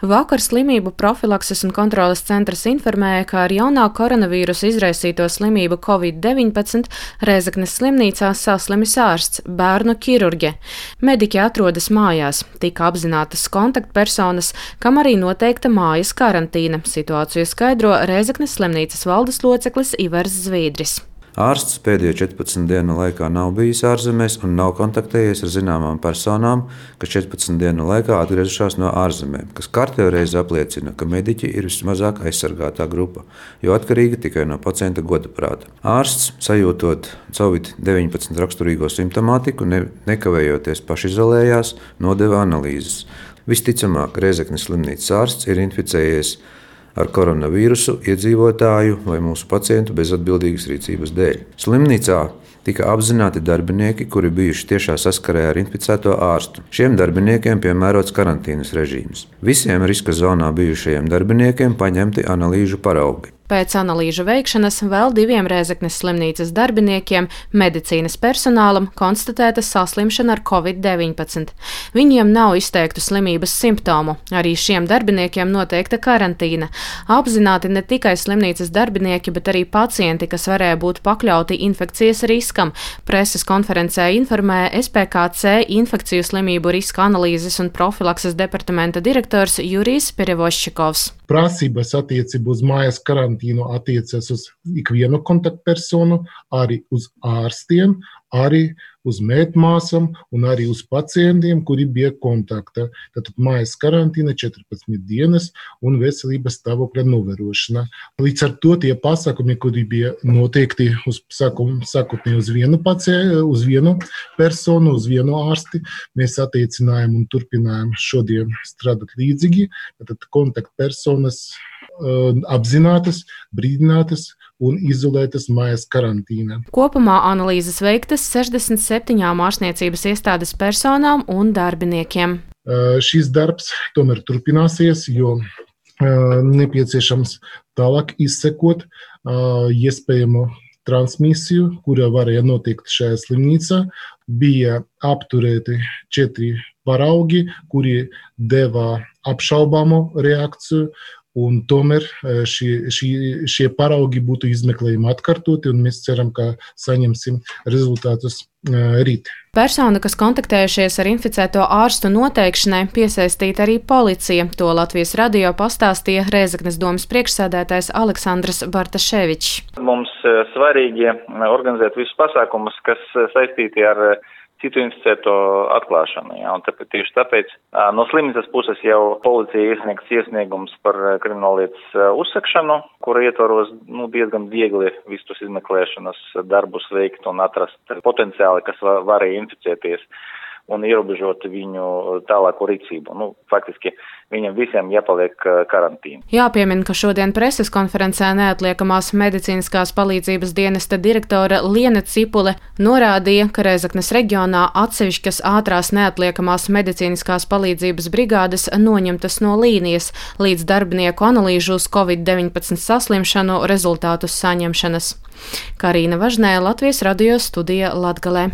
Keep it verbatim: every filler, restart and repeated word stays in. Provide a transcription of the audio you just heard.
Vakar Slimību profilakses un kontroles centrs informēja, ka ar jaunā koronavīrusa izraisīto slimību covid deviņpadsmit Rēzeknes slimnīcā saslimis ārsts, bērnu ķirurģe. Mediķi atrodas mājās, tika apzinātas kontaktpersonas, kam arī noteikta mājas karantīna. Situāciju skaidro Rēzeknes slimnīcas valdes loceklis Ivars Zvīdris. Ārsts pēdējo četrpadsmit dienu laikā nav bijis ārzemēs un nav kontaktējies ar zināmām personām, kas četrpadsmit dienu laikā atgriezušās no ārzemēm, kas kārtējo reizi apliecina, ka mediķi ir vismazāk aizsargātā grupa, jo atkarīga tikai no pacienta godaprāta. Ārsts, sajūtot covid deviņpadsmit raksturīgo simptomātiku, ne, nekavējoties pašizolējās, nodeva analīzes. Visticamāk, Rēzeknes slimnīcas ārsts ir inficējies ar koronavīrusu iedzīvotāju vai mūsu pacientu bezatbildīgas rīcības dēļ. Slimnīcā tika apzināti darbinieki, kuri bijuši tiešā saskarē ar inficēto ārstu. Šiem darbiniekiem piemērots karantīnas režīms. Visiem riska zonā bijušajiem darbiniekiem paņemti analīžu paraugi. Pēc analīžu veikšanas vēl diviem Rēzeknes slimnīcas darbiniekiem, medicīnas personālam, konstatēta saslimšana ar covid deviņpadsmit. Viņiem nav izteiktu slimības simptomu. Arī šiem darbiniekiem noteikta karantīna. Apzināti ne tikai slimnīcas darbinieki, bet arī pacienti, kas varēja būt pakļauti infekcijas riskam. Preses konferencē informēja S P K C infekciju slimību riska analīzes un profilakses departamenta direktors Jurijs Perevoščikovs. Prasības attiecībā uz mājas karantīnu attiecas uz ikvienu kontaktpersonu, arī uz ārstiem, arī uz mētmāsām un arī uz pacientiem, kuri bija kontaktā. Tātad mājas karantīna četrpadsmit dienas un veselības stāvokļa novērošana. Līdz ar to tie pasākumi, kuri bija noteikti uz sākotnēji uz vienu pacientu, uz vienu personu, uz vienu ārsti, mēs attiecinājām un turpinājām šodien strādāt līdzīgi. Tātad kontaktpersonas uh, apzinātas, brīdinātas un izolētas mājas karantīnā. Kopumā analīzes veiktas sešdesmit septiņām ārstniecības iestādes personām un darbiniekiem. Uh, šis darbs tomēr turpināsies, jo uh, nepieciešams tālāk izsekot uh, iespējamo transmisiju, kura varēja notikt šajā slimnīcā. Bija apturēti četri paraugi, kuri deva apšaubāmu reakciju. Un tomēr šie, šie, šie paraugi būtu izmeklējumi atkārtoti, un mēs ceram, ka saņemsim rezultātus rīt. Persona, kas kontaktējušies ar inficēto ārstu noteikšanai, piesaistīta arī policija. To Latvijas radio pastāstīja Rēzeknes domas priekšsēdētājs Aleksandrs Bartaševičs. Mums svarīgi organizēt visus pasākumus, kas saistīti ar citu inficēto atklāšanu. Ja, un tāpēc, tieši tāpēc no slimnīcas puses jau policija iesniegs iesniegums par krimināllietas uzsakšanu, kura ietvaros nu, diezgan viegli visus izmeklēšanas darbus veikt un atrast potenciāli, kas var, varēja inficēties un ierobežot viņu tālāko rīcību. Nu, faktiski viņam visiem jāpaliek karantīna. Jāpiemina, ka šodien preses konferencē neatliekamās medicīniskās palīdzības dienesta direktore Liene Cipule norādīja, ka Rēzeknes reģionā atsevišķas ātrās neatliekamās medicīniskās palīdzības brigādes noņemtas no līnijas līdz darbinieku analīžu uz covid deviņpadsmit saslimšanu rezultātus saņemšanas. Karīna Važnē, Latvijas radio studija Latgalē.